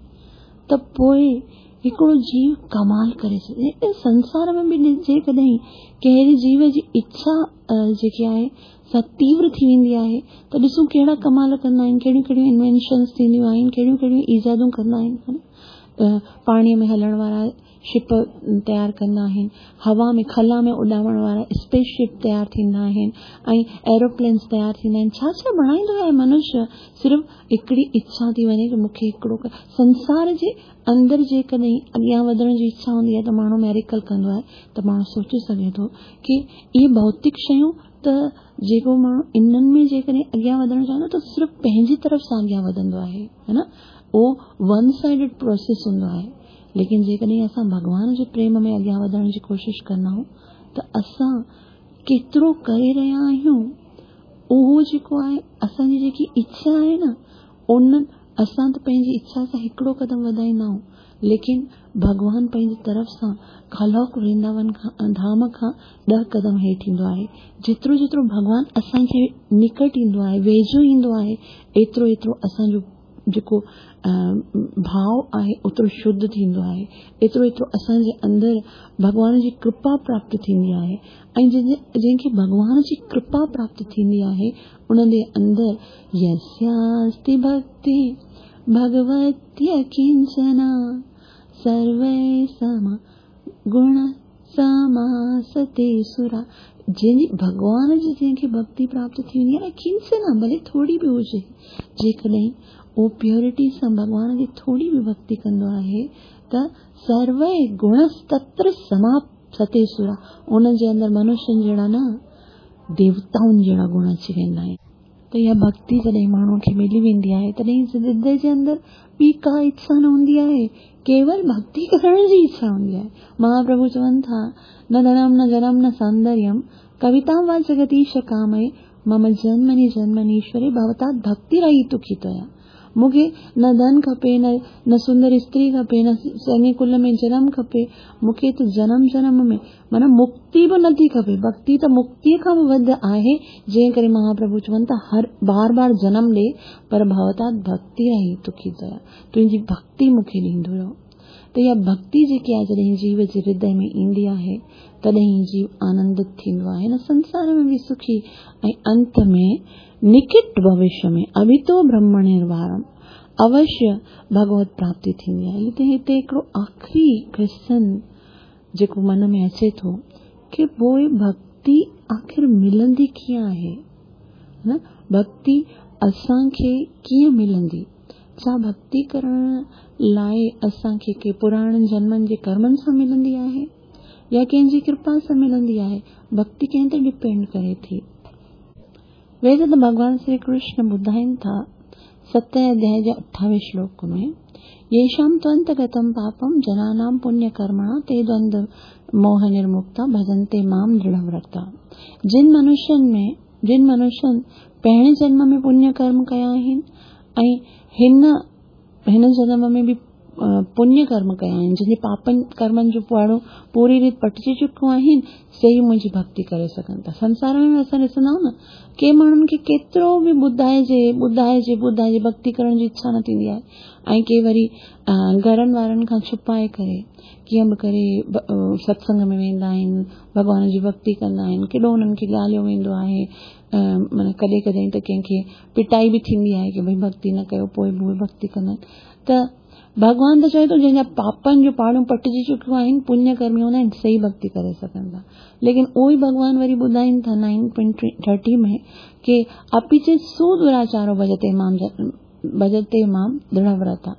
त पोइ हिकिड़ो जीव कमाल करे सघे। संसार में बि जेकॾहिं कंहिं जीव जी इच्छा जेकी आहे सा तीव्र थी वेंदी आहे त ॾिसूं कहिड़ा कमाल कंदा आहिनि, कहिड़ियूं कहिड़ियूं इन्वेंशन्स थींदियूं आहिनि, कहिड़ियूं कहिड़ियूं ईजादूं कंदा आहिनि। पाणीअ में हलण वारा शिप तयारु कंदा आहिनि, हवा में खला में उॾामण वारा स्पेसशिप तयारु थींदा आहिनि ऐं एरोप्लेन्स तयारु थींदा आहिनि। छा छा बणाईंदो आहे मनुष्य, सिर्फ़ हिकिड़ी इच्छा थी वञे की मूंखे हिकिड़ो संसार जे अंदरि जेकॾहिं अॻियां वधण जी इच्छा हूंदी आहे त माण्हू मेरिकल कंदो आहे। त माण्हू सोचे सघे थो की इहे भौतिक शयूं त जेको माण्हू इन्हनि में जेकॾहिं अॻियां वधणु चाहंदो त सिर्फ़ पंहिंजी तरफ़ सां अॻियां वधंदो आहे, है न, उहो वन साइडेड प्रोसेस हूंदो आहे। लेकिन जेकॾहिं असां भॻवान जे प्रेम में अॻियां वधण जी कोशिशि कंदा आहियूं त असां केतिरो करे रहिया आहियूं, उहो जेको आहे असांजी जेकी इच्छा आहे न, उन असां त पंहिंजी इच्छा सां हिकिड़ो क़दम वधाईंदा आहियूं, लेकिन भॻवान पंहिंजी तरफ़ सां खलोक वृंदावन खां धाम खां ॾह क़दम हेठि ईंदो आहे। जेतिरो जेतिरो भॻवान असांजे निकट ईंदो आहे, वेझो ईंदो आहे, एतिरो एतिरो असांजो जेको भाव आहे ओतिरो शुद्ध थींदो आहे, एतिरो एतिरो असांजे अंदरि भॻवान जी कृपा प्राप्त थींदी आहे। ऐं जंहिंखे भॻवान जी कृपा प्राप्त थींदी आहे उनजे अंदरि यस्यास्ति भक्ति भगवत्य किंचना सर्वै सम गुण समासते सुरा। जंहिंजी भॻवान जी जंहिंखे भक्ति प्राप्त थी वेंदी आहे न, किंचना भले थोरी बि हुजे, जेकॾहिं उहो प्योरिटी सां भॻवान जी थोरी बि भक्ति कंदो आहे त सर्वै गुणस्तत्र समासते सुरा, उनजे अंदरि मनुष्यनि जहिड़ा न देवताउनि जहिड़ा गुण अची वेंदा आहिनि। त इहा भक्ति जॾहिं माण्हूअ खे मिली वेंदी आहे तॾहिं हृदय जे अंदरि ॿी का इच्छा न हूंदी आहे, केवल भक्ति करण जी इच्छा हूंदी आहे। महाप्रभु चवनि था न धनम न जनम न सौंदर्यम कविता वा जगदीश कामये मम जन्मनि जन्मनीश्वरे भवता भक्ति रही दुखी त्वया। मूंखे न धन खपे, न न सुंदर स्त्री खपे, न चङे कुल में जनम खपे, मूंखे त जनम जनम में माना मुक्ति बि नथी खपे। भक्ति त मुक्तीअ खां बि वधि आहे, जंहिं करे महाप्रभु चवनि था हर बार बार जनम ॾे, पर भवता भक्ति रही तुखी दया, तुंहिंजी भक्ति मूंखे ॾींदो रहो। त इहा भक्ति जेकी आहे जॾहिं जीव जे हृदय में ईंदी आहे तॾहिं जीव आनंदित थींदो आहे, हिन संसार में बि सुखी ऐं अंत में निकट भविष्य में अभितो ब्रह्म निर्वाणम अवश्य भगवत प्राप्ति थींदी आहे। त हिते हिकिड़ो आख़िरी क्वेश्चन जेको मन में अचे थो की पोइ भक्ति आख़िर मिलंदी कीअं आहे? न भक्ति असांखे कीअं मिलंदी? छा भक्ति करण लाइ असांखे के पुराणनि जन्मनि जे कर्मनि सां मिलंदी आहे या कंहिंजी कृपा सां मिलंदी आहे? भक्ति कंहिं ते डिपेंड करे थी? वेद त भॻवान श्री कृष्ण ॿुधाइनि था सतें अध्याय जे अठावीह श्लोक में, येषां त्वन्तगतं पापं जनानां पुण्यकर्मणा ते द्वंद्व मोह निर्मुक्ता भजन्ते मां दृढ़व्रता। जिन मनुष्यनि में जिन मनुष्यनि पहिरें जन्म में पुण्य कर्म कया आहिनि ऐं हिन हिन जन्म में बि पुण्य कर्म कया आहिनि, जिन जे पापनि कर्मनि जो पुआड़ो पूरी रीति पटिजी चुको आहिनि, से ई मुंहिंजी भक्ति करे सघनि था। संसार में असां ॾिसंदा आहियूं न, के माण्हुनि खे केतिरो बि ॿुधाइजे ॿुधाइजे ॿुधाइजे भक्ति करण जी इच्छा न थींदी आहे, ऐं के वरी घरनि वारनि खां छुपाए करे कीअं बि करे सत्संग में वेंदा आहिनि, भॻवान जी भक्ति कंदा आहिनि, केॾो हुननि खे ॻाल्हियो वेंदो आहे, माना कॾहिं कॾहिं त कंहिंखे पिटाई बि थींदी आहे की भई भक्ति न कयो, पोइ बि उहे भक्ति कंदा आहिनि। त भॻवान त चवे थो जंहिंजा पापनि जो पाड़ूं पटिजी चुकियूं आहिनि, पुण्य कर्मी हूंदा आहिनि, सही भक्ति करे सघनि था। लेकिन उहो ई भॻवान वरी ॿुधाइनि था नाइन पॉइंट थर्टी में की अपि चेत् सुदुराचारो भजते मां भजते मां दृढ़व्रता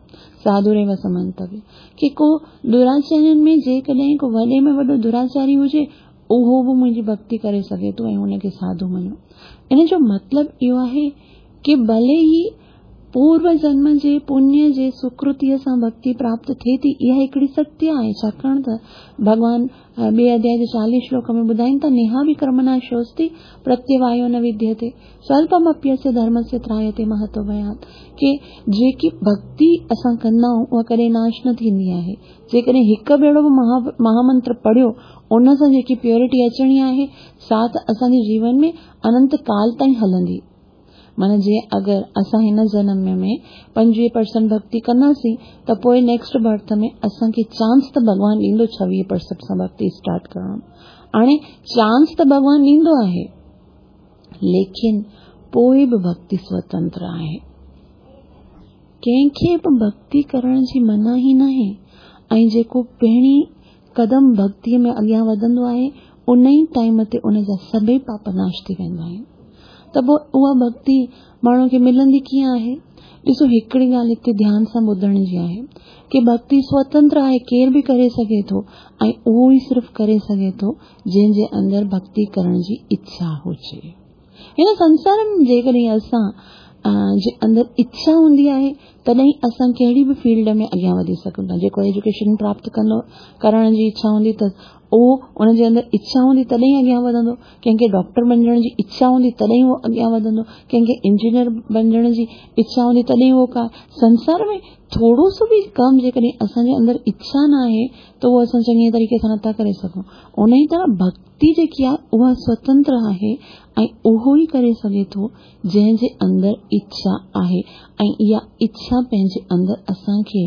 साधुरेव समन्तव्य, की को दुराचारनि में जेकॾहिं को वॾे में वॾो दुराचारी हुजे उहो बि मुंहिंजी भक्ति करे सघे थो ऐं हुनखे साधु मञो। इन जो मतिलबु इहो आहे की भले ई पूर्व जन्म जे पुण्य जे सुकृतीअ सां भक्ति प्राप्त थिए थी, इहा हिकिड़ी सत्य आहे। छाकाणि त भॻवान ॿिए अध्याय जे चालीह श्लोक में ॿुधाइनि था, नेहा बि कर्मनाशोऽस्ति प्रत्यवायो न विद्यते स्वल्पमप्यस्य धर्मस्य त्रायते महतो भयात्। की जेकी भक्ति असां कंदा आहियूं उहा कॾहिं नाश न थींदी आहे। जेकॾहिं हिकु भेरो बि महा महामंत्र पढ़ियो, उन सां जेकी प्योरिटी अचणी आहे सा त असांजे जीवन में अनंत काल ताईं हलंदी। माना जीअं अगरि असां हिन जनम में पंजवीह परसेंट भक्ति कंदासीं त पोइ नेक्स्ट बर्थ में असांखे चांस त भॻवान ॾींदो छवीह परसेंट सां भक्ति स्टार्ट करण। हाणे चांस त भॻवान ॾींदो आहे, लेकिन पोइ बि भक्ति स्वतंत्र आहे। कंहिंखे बि भक्ति करण जी मनाही नाहे ऐं जेको पहिरीं कदम भक्तीअ में अॻियां वधंदो आहे उन ई टाइम ते उन जा सभई पाप नाश थी वेंदा आहिनि। त पोइ उहा भक्ति माण्हू खे मिलंदी कीअं आहे? ॾिसो, हिकिड़ी ॻाल्हि हिते ध्यान सां ॿुधण जी आहे की भक्ति स्वतंत्र आहे, केरु बि करे सघे थो ऐं उहो ई सिर्फ़ करे सघे थो जंहिंजे अंदरि भक्ति करण जी इच्छा हुजे। हिन संसार में जेकॾहिं असां जे अंदरि इच्छा हूंदी आहे तॾहिं असां कहिड़ी बि फील्ड में अॻियां वधी सघूं था। जेको एजुकेशन प्राप्त कंदो करण जी इच्छा हूंदी त उहो उनजे अंदरि इच्छा हूंदी तॾहिं अॻियां वधंदो। कंहिंखे डॉक्टर बणिजण जी इच्छा हूंदी तॾहिं उहो अॻियां वधंदो। कंहिंखे इंजीनियर बणिजण जी इच्छा हूंदी तॾहिं उहो का संसार में थोरो सो बि कमु जेकॾहिं असांजे अंदरि इच्छा न आहे त उहो असां चङे तरीक़े सां नथा करे सघूं। उन ई तरह भक्ति जेकी आहे उहा स्वतंत्र आहे ऐं उहो ई करे सघे थो जंहिंजे अंदरि इच्छा आहे ऐं इहा इच्छा पंहिंजे अंदरि असांखे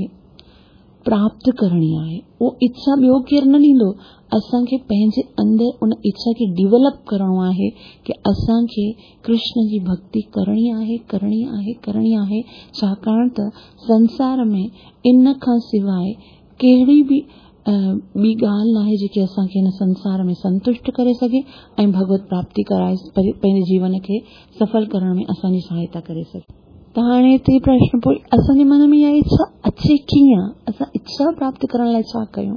प्राप्त करणी आहे। उहो इच्छा ॿियो केरु न ॾींदो, असांखे पंहिंजे अंदरि उन इच्छा खे डिवेलप करिणो आहे की असांखे कृष्ण जी भक्ति करणी आहे, करणी आहे, करणी आहे। छाकाणि त संसार में इन खां सवाइ कहिड़ी बि ॿी ॻाल्हि न आहे जेकी असांखे हिन संसार में संतुष्ट करे सघे ऐं भगवत प्राप्ति कराए पंहिंजे जीवन खे सफल करण में असांजी सहायता करे सघे। त हाणे हिते प्रश्न पोइ असांजे मन में इहा इच्छा अचे कीअं? असां इच्छा प्राप्त करण लाइ छा कयूं?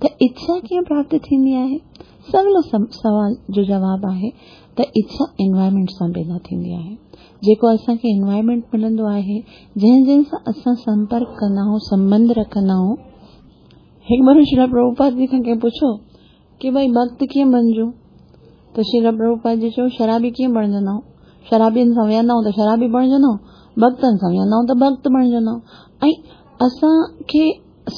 त इच्छा कीअं प्राप्त थींदी आहे? सवलो सवाल जो जवाबु आहे त इच्छा एनवायरमेंट सां पैदा थींदी आहे। जेको असांखे एनवायरमेंट मिलंदो आहे, जंहिं जंहिं सां असां संपर्क कंदा आहियूं, संबंध रखंदा आहियूं। हिकु भेरो श्रील प्रभुपाद जी खां कंहिं पुछो की भई भक्त कीअं बणिजूं? त श्रील प्रभुपाद जी चयो शराबी कीअं बणिजंदा आहियूं? शराबियुनि सां वेहंदा आहियूं त शराबी बणिजंदा आहियूं, ڀڳتن سان ويهندا آهيون ته ڀڳت بڻجندا آهيون. ۽ اسان کي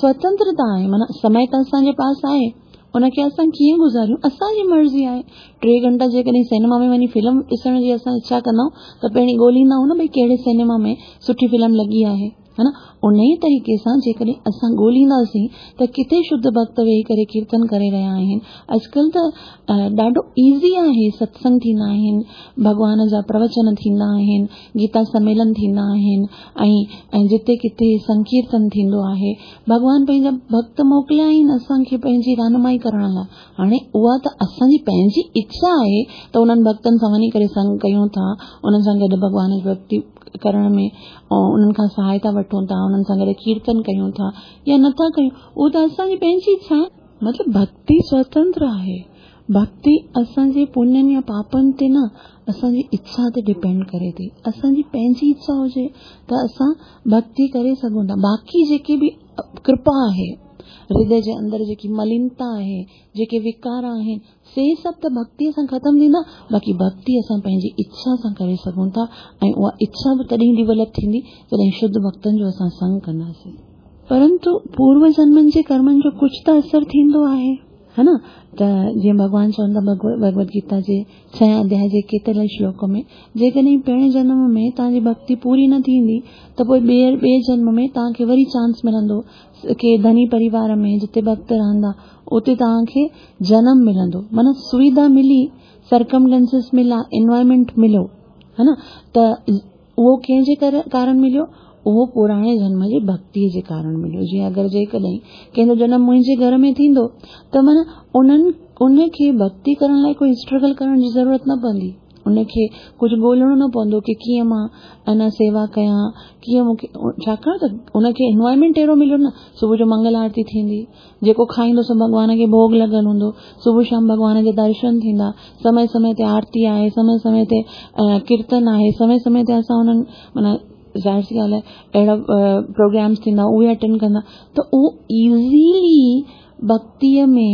سوتنترتا آهي، معنيٰ سمي ته اسان جي پاس آهي، ان کي اسان ڪيئن گذاريون اسان جي مرضي آهي. ٽي گهنٽا جيڪڏهن سئنيما ۾ وڃي فلم ڏسڻ جي اسان اڇا ڪندا آهيون ته پهرين ڳولهيندا آهيون نه ڀئي ڪهڙي سئنيما ۾ سٺي فلم لڳي آهي، ها نه؟ ان ئي طريقي سان جيڪڏهن اسان ڳولهينداسين ته ڪٿي شڌ ڀڳت ويهي ڪري ڪيرتن ڪري رهيا آهن. اڄڪلهه ته ڏاڍو ايزي آهي، ستسنگ ٿيندا آهن، ڀڳوان جا پروچن ٿيندا آهن، گيتا سميلن ٿيندا آهن ۽ ۽ جتي ڪٿي سنڪيرتن ٿيندو آهي. ڀڳوان پنهنجا ڀڳت موڪليا آهن اسان کي پنهنجي رهنمائي ڪرڻ لاءِ. هاڻي اها ته اسان جي پنهنجي اڇا آهي ته انهن ڀڳتن سان وڃي ڪري سنگ ڪيون ٿا، انهن سان گڏ ڀڳوان جي ڀڳتي ڪرڻ ۾ ۽ انهن کان سهائتا وٺون ٿا، انهن سان گڏ ڪيرتن ڪيون ٿا يا نٿا ڪيون، اهو ته اسان جي پنهنجي اڇا آهي. مطلب ڀڳتي سوتنتر آهي. ڀڳتي اسان جي پڃن يا پاپن تي نه، اسان جي اڇا تي ڊپينڊ ڪري ٿي. اسان جي پنهنجي اڇا هجي ته اسان ڀڳتي ڪري سگهون ٿا. باقي جيڪي به ڪرپا آهي، هردي جي اندر جيڪي ملينتا آهي، جيڪي وڪار آهن، سي سڀ ته ڀڳتيءَ سان ختم ٿيندا. باقي ڀڳتي اسان پنهنجي اڇا سان ڪري سگهون ٿا ۽ اها اڇا به تڏهن ڊيولپ ٿيندي جڏهن شڌ ڀڳتن جو اسان سنگ ڪنداسين. پرنتو پورو جنمن جي ڪرمن جو ڪجهه ته اثر ٿيندو آهي، ها نه؟ ته جيئن ڀڳوان چون ٿا ڀڳوت گيتا جي ڇهين اڌياءِ جي ڪيتري شلوڪ ۾، جيڪڏهن پهرين جنم ۾ توهان جي ڀڳتي پوري نه ٿيندي ته پوءِ ٻئي ٻئي جنم ۾ توهان کي وري چانس ملندو ڪه ڌني پريوار ۾ جتي ڀڳت رهندا اتي توهان کي جنم ملندو. معنيٰ سوڌا ملي، سرڪمٽينسز ملا، انوائرمينٽ مليو، ها نه؟ ته اهو ڪنهن جي ڪارڻ مليو؟ اهو پراڻي جنم جي ڀڳتيءَ جي ڪارڻ مليو. جيئن اگر جيڪڏهن ڪنهن جو جنم منهنجي گهر ۾ ٿيندو ته معنيٰ انهن ان کي ڀڳتي ڪرڻ لاءِ ڪوئي اسٽرگل ڪرڻ جي ضرورت نه پوندي. ان کي ڪجهه ڳولهڻو نه پوندو ڪه ڪيئن مان اڃا سيوا ڪيان، ڪيئن مون کي، ڇاڪاڻ ته ان کي انوائرمينٽ اهڙو مليو نه. صبح جو منگل آرتي ٿيندي، جيڪو کائيندو سو ڀڳوان کي ڀوڳ لڳل هوندو، صبح شام ڀڳوان جا درشن ٿيندا، سمي سمي تي آرتي آهي، سمي سمي تي ڪيرتن آهي، سمي سمي تي اسان انهن معنيٰ ظاهر سي ڳالهه آهي اهڙا پروگرامس ٿيندا اهي اٽينڊ ڪندا ته اهو ايزلي ڀڳتيءَ ۾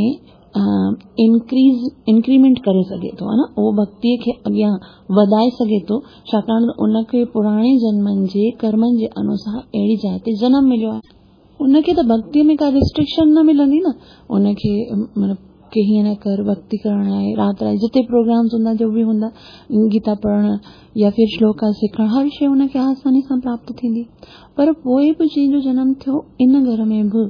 انڪريز انڪريمينٽ ڪري سگهي ٿو، ها نه؟ اهو ڀڳتيءَ کي اڳيان وڌائي سگهي ٿو، ڇاڪاڻ ته ان کي پراڻي جنمن جي ڪرمن جي انوسار اهڙي جاءِ تي جنم مليو آهي. ان کي ته ڀڳتيءَ ۾ ڪا ريسٽرڪشن نه ملندي نه. ان کي مطلب ڪه هيئن نه ڪر، ڀڳتي ڪرڻ لاءِ رات لاءِ جتي پروگرامس هوندا جو به هوندا، گيتا پڙهڻ يا ڦر شلوڪا سکڻ، هر شيءِ ان کي آساني سان پراپت ٿيندي. پر پوءِ به جنهن جو جنم ٿيو ان گهر ۾ به،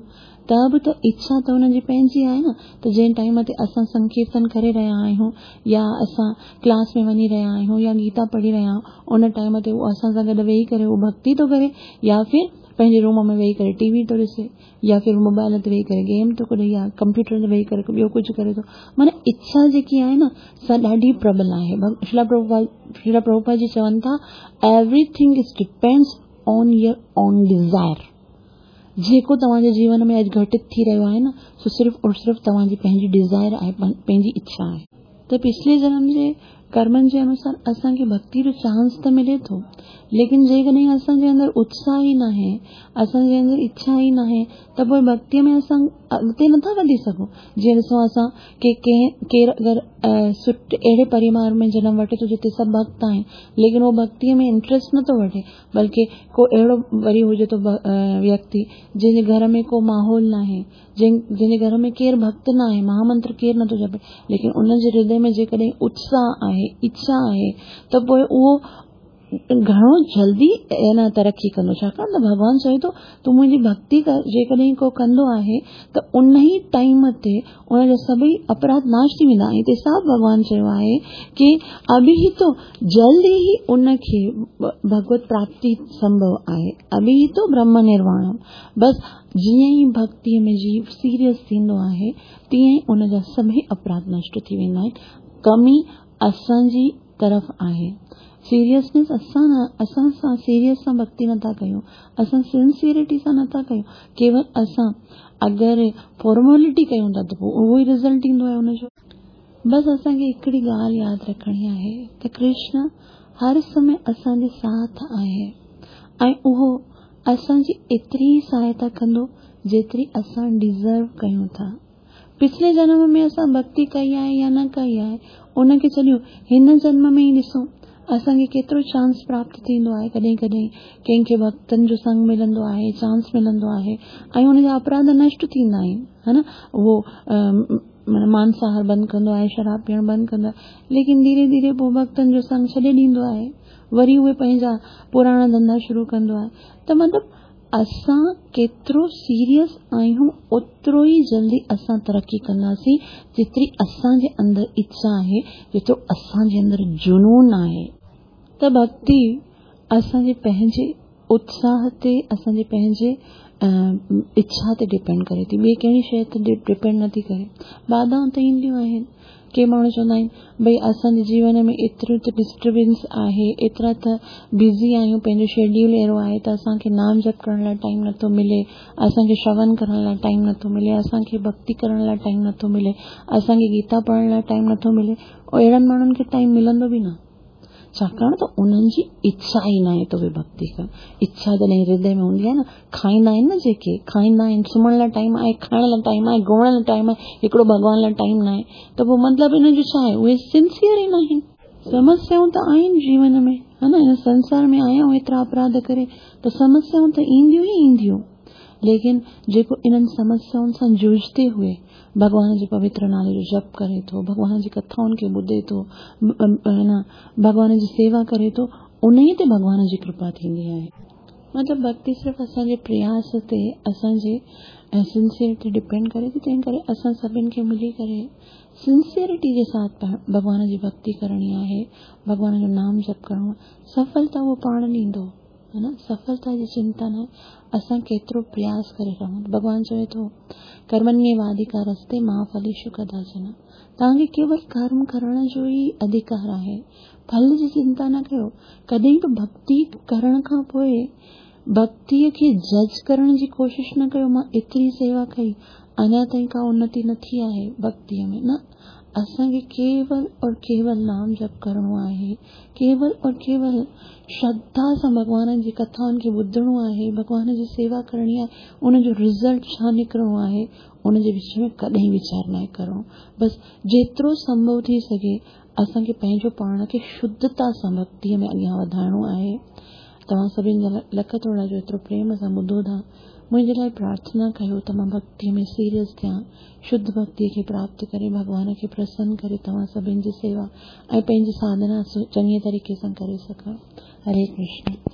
ته به ته اڇا ته هن جي پنهنجي آهي نه. ته جنهن ٽائيم تي اسان سنڪيرتن ڪري رهيا آهيون يا اسان ڪلاس ۾ وڃي رهيا آهيون يا گيتا پڙهي رهيا آهيون، ان ٽائيم تي اهو اسان سان گڏ ويهي ڪري اهو ڀڳتي ٿو ڪري يا ڦر پنهنجي روم ۾ ويهي ڪري ٽي وي ٿو ڏسي يا ڦر موبائل تي ويهي ڪري گيم ٿو ڪري يا ڪمپيوٽر تي ويهي ڪري ٻيو ڪجهه ڪري ٿو. معنيٰ اڇا جيڪي آهي نه سا ڏاڍي پربل آهي. شريلا پرڀوپاد شريلا پرڀوپاد جي چون ٿا everything is depends on your own desire. جيڪو توهان جي جيون ۾ اڄ گهٽت ٿي رهيو آهي نه، سو صرف اور صرف توهان جي پنهنجي ڊزائر آهي، پنهنجي اڇا آهي. ته پڇلي جنم جي ڪرمن جي انوسار اسان کي ڀڳتي جو چانس ته ملي ٿو، ليڪن جيڪڏهن اسان جي اندر اتساهه ئي ناهي، اسان جي اندر اڇا ئي ناهي، ته پوءِ ڀڳتيءَ ۾ اسان اڳتي نٿا وڌي سگهون. جيئن ڏسو اسان ڪه ڪنهن ڪير اگر سٺي اهڙي پريوار ۾ جنم وٺي ٿو جتي سڀ ڀڳت آهن، ليڪن اهو ڀڳتيءَ ۾ انٽريسٽ نٿو وٺي، بلڪه ڪو اهڙو وري هجي ٿو ويڪتي جنهن جي گهر ۾ ڪو ماحول ناهي، جنهن جنهن جي گهر ۾ ڪير ڀڳت ناهي، مهامنتر ڪير نٿو جپي، ليڪن ان جي هردي ۾ جيڪڏهن اتساهه آهي، اڇا آهي، ته پوءِ اهو گهڻو جلدي نه ترقي ڪندو. ڇاڪاڻ ته ڀڳوان چوي ٿو تون منهنجي ڀڳتي ڪر، جيڪڏهن ڪو ڪندو آهي ته ان ئي ٽائيم تي ان جا سڀئي اپراڌ ناش ٿي ويندا. ۽ هتي صاف ڀڳوان چيو آهي ڪه اڀي ٿو جلد ئي ان کي ڀڳوت پراپتي سنڀو آهي، اڀي ٿو برهم نرواڻ. بس جيئن ئي ڀڳتيءَ ۾ جيو سيريس ٿيندو آهي تيئن ئي ان جا سڀئي اپراڌ نشٽ ٿي ويندا آهن. ڪمي اسان جي طرف آهي، سيريسنيس اسان اسان سان سيريس سان ڀڳتي نٿا ڪيون، اسان سنسيئرٽي سان نٿا ڪيون، ڪيول اسان اگر فارميلٽي ڪيون ٿا ته پوءِ اهو ئي رزلٽ ايندو آهي ان جو. بس اسان کي هڪڙي ڳالهه ياد رکڻي آهي ته ڪرشن هر سمي اسان جي ساٿ آهي ۽ اهو اسان جي ايتري سهائتا ڪندو جيتري اسان ڊزرو ڪيون ٿا. پڇلي جنم ۾ اسان ڀڳتي ڪئي آهي يا نه ڪئي آهي ان کي ڇڏيو، هن جنم ۾ ئي ڏسو असांखे केतिरो चांस प्राप्त थींदो आहे। कॾहिं कॾहिं कंहिंखे भक्तनि जो संग मिलंदो आहे, चांस मिलंदो आहे ऐं हुनजा अपराध नष्ट थींदा आहिनि, हा न। उहो माना मांसाहार बंदि कंदो आहे, शराब पीअण बंदि कंदो आहे, लेकिन धीरे धीरे पोइ भक्तनि जो संग छॾे ॾींदो आहे, वरी उहे पंहिंजा पुराणा धंधा शुरू कंदो आहे। त मतिलबु असां केतिरो सीरियस आहियूं ओतिरो ई जल्दी असां तरक़ी कंदासीं, जेतिरी असांजे अंदरि इच्छा आहे, जेतिरो असांजे अंदरि जुनून आहे। त भक्ति असांजे पंहिंजे उत्साह ते, असांजे पंहिंजे इच्छा ते डिपेंड करे थी, ॿी कहिड़ी शइ ते डिपेंड नथी करे। बाधाऊं त ईंदियूं आहिनि। के माण्हू चवंदा आहिनि भई असांजे जीवन में एतिरो त डिस्टर्बेंस आहे, एतिरा त बिज़ी आहियूं, पंहिंजो शेड्यूल अहिड़ो आहे त असांखे नाम जप करण लाइ टाइम नथो मिले, असांखे श्रवण करण लाइ टाइम नथो मिले, असांखे भक्ति करण लाइ टाइम नथो मिले, असांखे गीता पढ़ण लाइ टाइम नथो मिले। अहिड़नि माण्हुनि खे टाइम मिलंदो बि न, छाकाणि त उन्हनि जी इच्छा ई न आहे त उहे भक्ति कनि। इच्छा जॾहिं हृदय में हूंदी आहे न, खाईंदा आहिनि न जेके खाईंदा आहिनि, सुम्हण लाइ टाइम आहे, खाइण लाइ टाइम आहे, घुमण लाइ टाइम आहे, हिकिड़ो भॻवान लाइ टाइम न आहे, त पोइ मतिलबु हिन जो छा आहे? उहे सिंसियर ई न आहिनि। समस्याऊं त आहिनि जीवन में, हा न, हिन संसार में आया आहियूं एतिरा अपराध करे त समस्याऊं त ईंदियूं ई ईंदियूं, लेकिन जेको इन्हनि समस्याउनि सां जूझते हुए भॻवान जे पवित्र नाले जो जप करे थो, भॻवान जी कथाउनि खे ॿुधे थो, न भॻवान जी सेवा करे थो, उन ते भॻवान जी कृपा थींदी आहे। मतिलबु भक्ति सिर्फ़ु असांजे प्रयास ते, असांजे सिंसियर ते डिपेंड करे थी। तंहिं करे असां सभिनि खे मिली करे सिंसियरिटी जे साथ भॻवान जी भक्ति करणी आहे, भॻवान जो नाम जप करिणो आहे। सफलता उहो पाण ॾींदो, हा न, सफलता जी चिंता न आहे, असां केतिरो प्रयास करे रहूं। भॻवान चवे थो कर्मण्येवाधिकारस्ते मा फलेषु कदाचन। तव्हांखे केवल कर्म करण जो ई अधिकार आहे, फल जी चिंता न कयो। कॾहिं बि भक्ति करण खां पोइ भक्तीअ खे जज करण जी कोशिश न कयो, मां एतिरी सेवा कई, अञा ताईं का उन्नति न थी आहे भक्तीअ में। न, असांखे केवल और केवल नाम जप करिणो आहे, केवल और केवल श्रद्धा सां भॻवान जी कथाउनि खे ॿुधणो आहे, भॻवान जी सेवा करणी आहे, उनजो रिज़ल्ट छा निकिरणो आहे उनजे विच में कॾहिं वीचार न करिणो। बसि जेतिरो संभव थी सघे असांखे पंहिंजो पाण खे शुद्धता सां भक्तीअ में अॻियां वधाइणो आहे। तव्हां सभिनी जा लख थोरा जो एतिरो प्रेम सां ॿुधो था, मुंहिंजे लाइ प्रार्थना कयो त मां भक्तीअ में सीरियस थियां, शुद्ध भक्तीअ खे प्राप्त करे भॻवान खे प्रसन्न करे तव्हां सभिनी जी सेवा ऐं पंहिंजी साधना चङे तरीक़े सां करे सघां। हरे कृष्ण।